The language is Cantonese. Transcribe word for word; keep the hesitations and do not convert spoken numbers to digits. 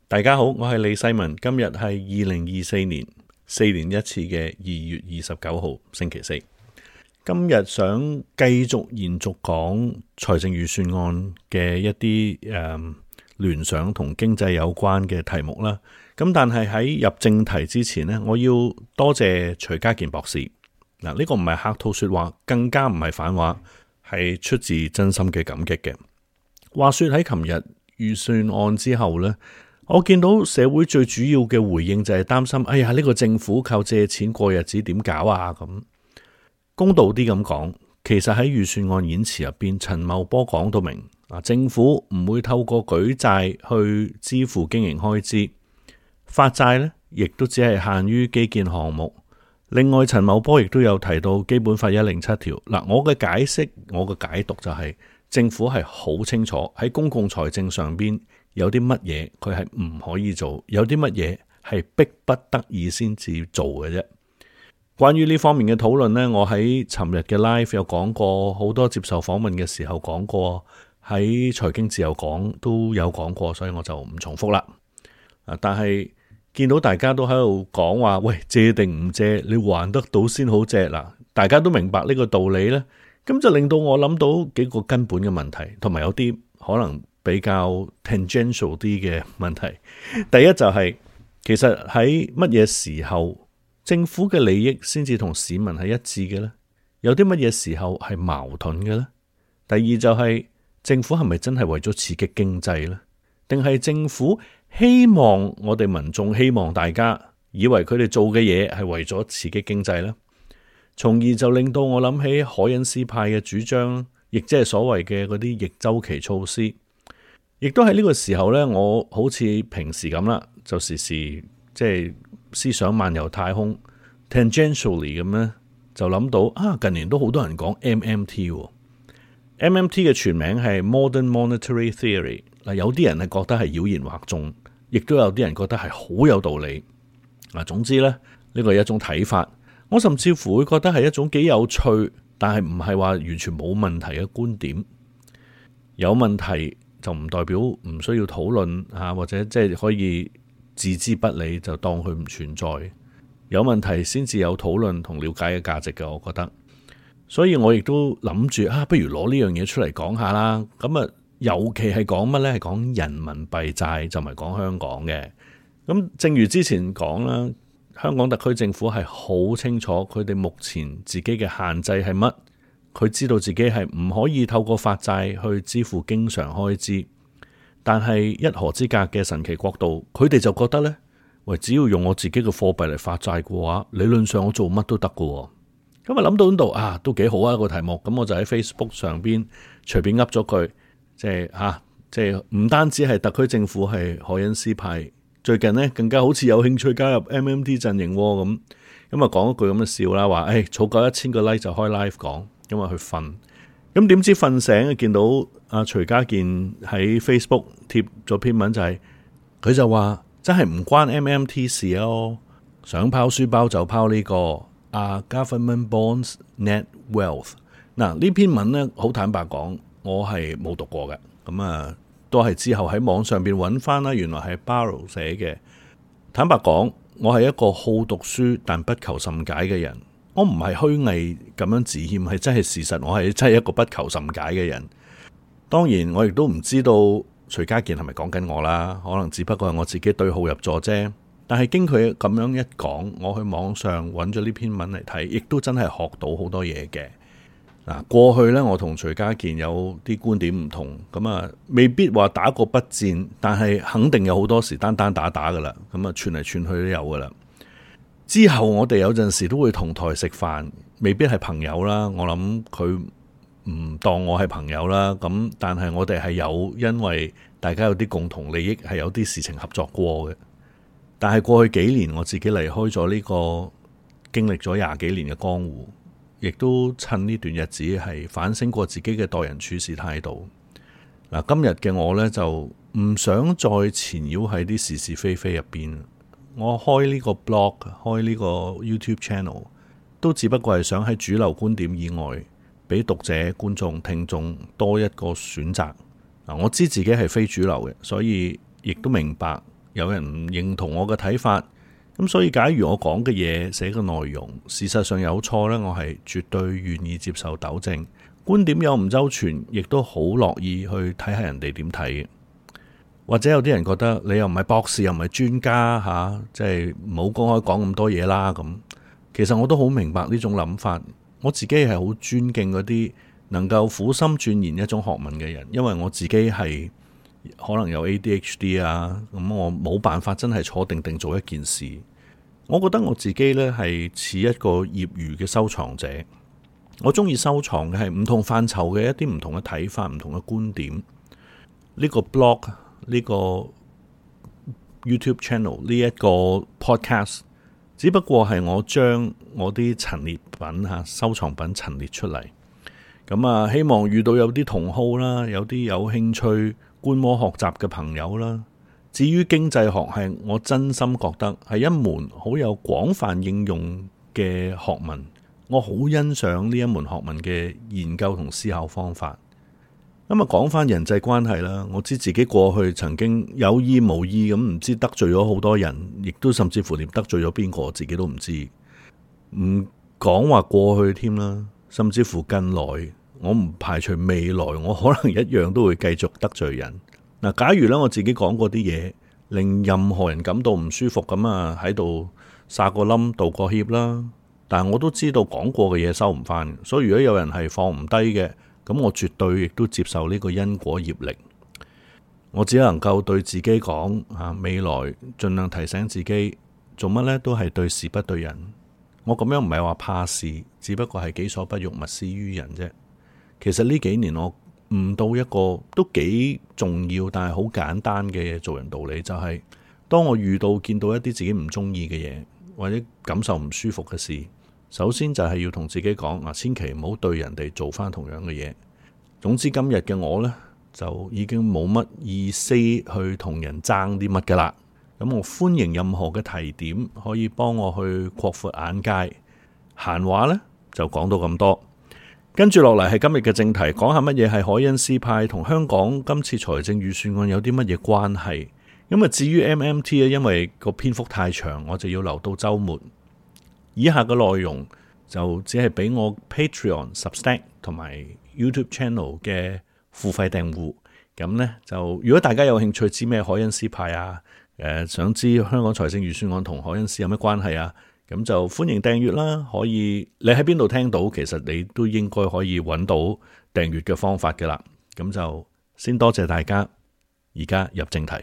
大家好，我係李世民。今日係二零二四年四年一次嘅二月二十九號星期四。今日想繼續延續講財政預算案嘅一啲誒聯想同經濟有關嘅題目啦。咁但係喺入正題之前呢，我要多謝徐家健博士。嗱，呢個唔係客套說話，更加唔係反話，係出自真心嘅感激嘅。話說喺琴日預算案之後呢，我見到社會最主要嘅回應就係擔心，哎呀，呢個政府靠借錢過日子點搞啊？咁公道啲咁講，其實喺預算案演辭入邊，陳茂波講到明，啊，政府唔會透過舉債去支付經營開支，發債呢亦都只係限於基建項目。另外，陳茂波亦都有提到基本法一零七條。嗱，我嘅解釋，我嘅解讀就係、是、政府係好清楚喺公共財政上邊。有啲乜嘢佢係唔可以做，有啲乜嘢係逼不得已先至做嘅啫。關於呢方面嘅討論呢，我喺尋日嘅 live 有講過，好多接受訪問嘅時候講過，喺財經自由講都有講過，所以我就唔重複啦。但係見到大家都喺度講話，喂，借定唔借，你還得到先好借嗱，大家都明白呢個道理呢，咁就令到我諗到幾個根本嘅問題，同埋有啲可能比較 tangential 啲嘅問題。第一就係、是、其實喺乜嘢時候政府嘅利益先至同市民係一致嘅呢？有啲乜嘢時候係矛盾嘅呢？第二就係、是、政府係咪真係為咗刺激經濟呢？定係政府希望我哋民眾，希望大家以為佢哋做嘅嘢係為咗刺激經濟呢？從而就令到我諗起凱恩斯派嘅主張，亦即係所謂嘅嗰啲逆周期措施。亦都喺呢個時候呢，我好似平時咁啦，就時時即係思想漫遊太空 tangentially 咁呢，就諗到啊，近年都好多人講 M M T。M M T 嘅全名係 Modern Monetary Theory。嗱，有啲人係覺得係妖言惑眾，亦都有啲人覺得係好有道理。嗱，總之呢，呢個係一種睇法。我甚至乎會覺得係一種幾有趣，但係唔係話完全冇問題嘅觀點。有問題就唔代表唔需要討論啊，或者即係可以置之不理，就當佢唔存在。有問題先至有討論同了解嘅價值嘅，我覺得。所以我亦都諗住啊，不如攞呢樣嘢出嚟講下啦。咁啊，尤其係講乜呢？係講人民幣債，就唔係講香港嘅。咁正如之前講啦，香港特區政府係好清楚佢哋目前自己嘅限制係乜。佢知道自己係唔可以透過發債去支付經常開支，但係一河之隔嘅神奇國度，佢哋就覺得呢：「喂，只要用我自己嘅貨幣嚟發債嘅話，理論上我做乜都得嘅。」咁啊諗到呢度啊，都幾好啊個題目。咁我就喺 Facebook 上邊隨便噏咗句，即係吓，即係唔單止係特區政府係凱恩斯派，最近呢更加好似有興趣加入 M M T 陣營咁。咁啊講一句咁嘅笑啦，話誒儲夠一千個 like 就開 live 講。因為去瞓，咁點知瞓醒見到阿徐家健喺 Facebook 貼咗篇文，就係、是、佢就話真係唔關 M M T 事咯，想拋書包就拋呢、這個啊 Government Bonds Net Wealth。嗱，呢篇文呢，好坦白講，我係冇讀過嘅，咁啊都係之後喺網上邊揾翻啦，原來係 Barrow 寫嘅。坦白講，我係一個好讀書但不求甚解嘅人。我唔係虛偽咁樣自謙，係真係事實。我係真係一個不求甚解嘅人。當然，我亦都唔知道徐家健係咪講緊我啦。可能只不過係我自己對號入座啫。但係經佢咁樣一講，我去網上揾咗呢篇文嚟睇，亦都真係學到好多嘢嘅。嗱，過去呢，我同徐家健有啲觀點唔同，咁啊，未必話打過筆戰，但係肯定有好多時單單打打噶啦。咁啊，串嚟串去都有噶啦。之後我哋有陣時都會同台食飯，未必係朋友啦。我諗佢唔當我係朋友啦。咁但係我哋係有，因為大家有啲共同利益，係有啲事情合作過嘅。但係過去幾年我自己離開咗呢個經歷咗廿幾年嘅江湖，亦都趁呢段日子係反省過自己嘅待人處事態度。嗱，今日嘅我呢，就唔想再纏繞喺啲是是非非入邊。我開呢個 blog， 開呢個 YouTube channel， 都只不過係想喺主流觀點以外，俾讀者、觀眾、聽眾多一個選擇。嗱，我知自己係非主流嘅，所以亦都明白有人唔認同我嘅睇法，咁所以假如我講嘅嘢、寫嘅內容事實上有錯呢，我係絕對願意接受糾正。觀點有唔周全，亦都好樂意去睇下人哋點睇嘅。或者有啲人覺得你又唔係博士，又唔係專家吓，即係唔好公開講咁多嘢啦。咁其實我都好明白呢種諗法。我自己係好尊敬嗰啲能夠苦心鑽研一種學問嘅人，因為我自己係可能有 A D H D 啊，咁我冇辦法真係坐定定做一件事。我覺得我自己呢係似一個業餘嘅收藏者，我中意收藏嘅係唔同範疇嘅一啲唔同嘅睇法、唔同嘅觀點。呢個 blog、呢個 YouTube channel、呢一個 podcast，只不過係我將我啲陳列品吓、收藏品陳列出嚟。咁啊，希望遇到有啲同好啦，有啲有興趣觀摩學習嘅朋友啦。至於經濟學，係我真心覺得係一門好有廣泛應用嘅學問，我好欣賞呢一門學問嘅研究同思考方法。咁啊，講翻人際關係啦，我知自己過去曾經有意無意咁唔知得罪咗好多人，亦都甚至乎連得罪咗邊個自己都唔知，唔講話過去添啦，甚至乎近來我唔排除未來我可能一樣都會繼續得罪人。嗱，假如咧我自己講過啲嘢，令任何人感到唔舒服咁啊，喺度撒個冧道個歉啦。但係我都知道講過嘅嘢收唔翻，所以如果有人係放唔低嘅，咁我絕對亦都接受呢個因果業力。我只能夠對自己講啊，未來盡量提醒自己做乜呢都係對事不對人。我咁樣唔係話怕事，只不過係己所不欲，勿施於人啫。其實呢幾年我悟到一個都幾重要但係好簡單嘅做人道理，就係當我遇到見到一啲自己唔中意嘅嘢，或者感受唔舒服嘅事，首先就係要同自己講啊，千祈唔好對人哋做翻同樣嘅嘢。總之今日嘅我呢，就已經冇乜意思去同人爭啲乜噶啦。咁我歡迎任何嘅提點，可以幫我去擴闊眼界。閒話呢，就講到咁多。跟住落嚟係今日嘅正題，講下乜嘢係凱恩斯派同香港今次財政預算案有啲乜嘢關係。咁啊，至於 M M T 咧，因為個篇幅太長，我就要留到週末。以下嘅內容就只係俾我 Patreon、Substack 同埋 YouTube Channel 嘅付費訂戶。咁呢，就如果大家有興趣知咩凱恩斯派啊，誒、呃、想知香港財政預算案同凱恩斯有咩關係啊？咁就歡迎訂閱啦，可以你喺邊度聽到，其實你都應該可以揾到訂閱嘅方法㗎喇。咁就先多謝大家，而家入正題。